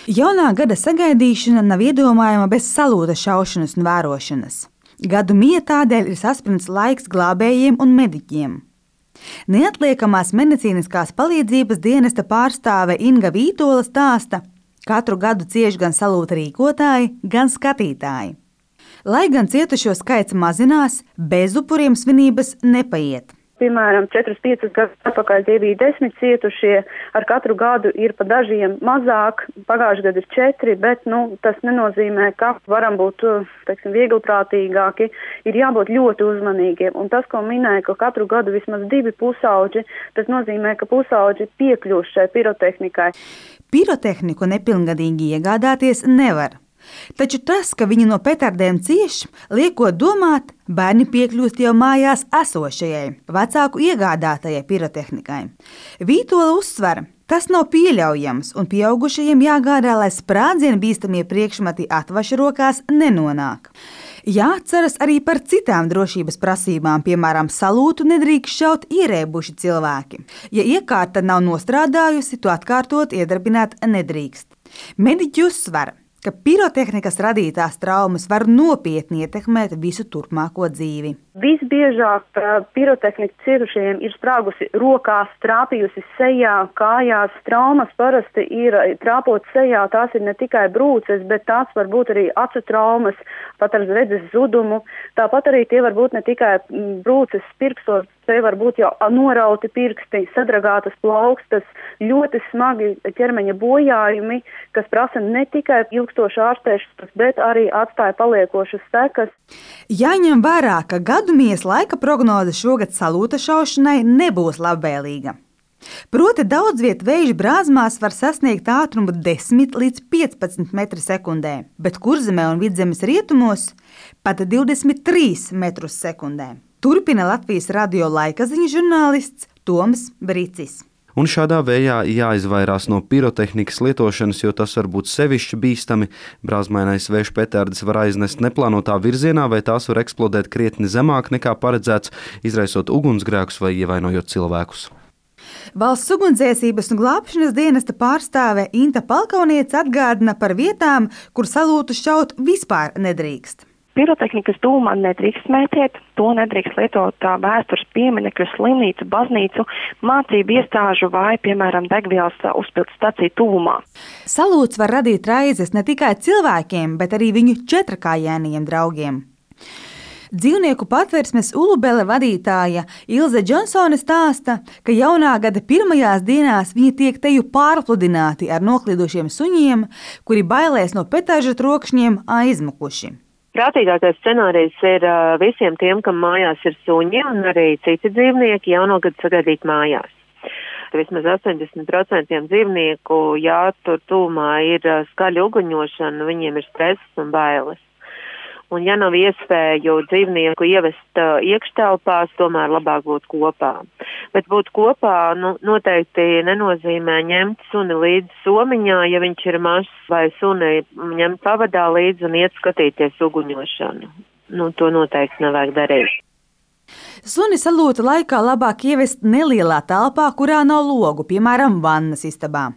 Jaunā gada sagaidīšana nav iedomājama bez salūta šaušanas un vērošanas. Gadu mija tādēļ ir saspringts laiks glābējiem un mediķiem. Neatliekamās medicīniskās palīdzības dienesta pārstāve Inga Vītola stāsta, katru gadu cieš gan salūta rīkotāji, gan skatītāji. Lai gan cietušo skaits mazinās, bez upuriem svinības nepaiet. Piemēram, 4-5 gadus atpakaļ tie bija 10 cietušie, ar katru gadu ir pa dažiem mazāk, pagājuši gadu ir 4, bet tas nenozīmē, ka varam būt vieglprātīgāki, ir jābūt ļoti uzmanīgiem. Un tas, ko minēja, ka katru gadu vismaz 2 pusauģi, tas nozīmē, ka pusauģi piekļūst šai pirotehnikai. Pirotehniku nepilngadīgi iegādāties nevar. Taču tas, ka viņi no petardēm cieš, liekot domāt, bērni piekļūst jau mājās esošajai, vecāku iegādātajai pirotehnikai. Vītola uzsver, tas nav pieļaujams un pieaugušajiem jāgādā, lai sprādzienu bīstamie priekšmeti atvaša rokās nenonāk. Jāatceras arī par citām drošības prasībām, piemēram, salūtu nedrīkst šaut ierēbuši cilvēki. Ja iekārta nav nostrādājusi, to atkārtot iedarbināt nedrīkst. Mediķi uzsver, ka pirotehnikas radītās traumas var nopietni ietekmēt visu turpmāko dzīvi. Visbiežāk pirotehnika cietušajiem ir sprāgusi rokās, trāpījusi sejā, kājās. Traumas parasti ir trāpot sejā, tās ir ne tikai brūces, bet tās var būt arī acu traumas, pat ar redzes zudumu. Tāpat arī tie var būt ne tikai brūces pirkstos, te var būt jau norauti pirksti, sadragātas plaukstas, ļoti smagi ķermeņa bojājumi, kas prasa ne tikai ilgstošu ārstēšanos, bet arī atstāja paliekošas sekas. Jāņem vērā, ka gadumijas laika prognoze šogad salūta šaušanai nebūs labvēlīga. Proti daudz vietu Vēju Brāzmās var sasniegt ātrumu 10 līdz 15 metri sekundē, bet Kurzemē un Vidzemes rietumos pat 23 metrus sekundē. Turpina Latvijas radio laikaziņu žurnālists Toms Bricis. Un šādā vējā jāizvairās no pirotehnikas lietošanas, jo tas var būt sevišķi bīstami. Brāzmainais vējš petardes var aiznest neplānotā virzienā, vai tās var eksplodēt krietni zemāk nekā paredzēts, izraisot ugunsgrēkus vai ievainojot cilvēkus. Valsts ugunsdzēsības un glābšanas dienesta pārstāve Inta Palkauniece atgādina par vietām, kur salūtu šaut vispār nedrīkst. Pirotehnikas dūmā nedrīkst smēķēt, to nedrīkst lietot vēstures pieminekļu, slimnīcu, baznīcu, mācību iestāžu vai, piemēram, degvielas uzpildes staciju tuvumā. Salūts var radīt raizes ne tikai cilvēkiem, bet arī viņu četrakājainajiem draugiem. Dzīvnieku patversmes Ulubele vadītāja Ilze Džonsone stāsta, ka jaunā gada pirmajās dienās viņi tiek teju pārpludināti ar noklidušiem suņiem, kuri bailēs no petāžu trokšņiem aizmukuši. Prātīgākais scenārijs ir visiem tiem, kam mājās ir suņi un arī citi dzīvnieki jaunogad sagaidīt mājās. Vismaz 80% dzīvnieku, ja tur tūmā ir skaļa uguņošana, viņiem ir stress un bailes. Un ja nav iespēju dzīvnieku ievest iekštelpās, tomēr labāk būt kopā. Bet būt kopā noteikti nenozīmē ņemt suni līdzi somiņā, ja viņš ir mazs, vai suni ņemt pavadā līdzi un iet skatīties uguņošanu. To noteikti nevajag darīt. Suni salūta laikā labāk ievest nelielā telpā, kurā nav logu, piemēram, vannas istabā.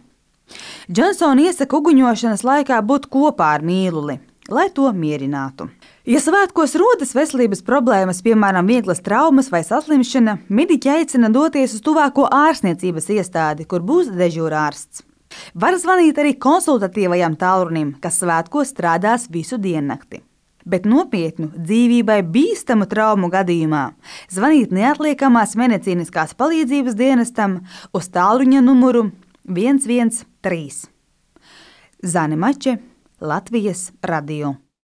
Džonsona iesaka uguņošanas laikā būt kopā ar mīluli, lai to mierinātu. Ja svētkos rodas veselības problēmas, piemēram, vieglas traumas vai saslimšana, mediķi aicina doties uz tuvāko ārstniecības iestādi, kur būs dežūrārsts. Var zvanīt arī konsultatīvajam tālrunim, kas svētkos strādās visu diennakti. Bet nopietnu, dzīvībai bīstamu traumu gadījumā zvanīt neatliekamās medicīniskās palīdzības dienestam uz tālruņa numuru 113. Zane Mače, Latvijas radio.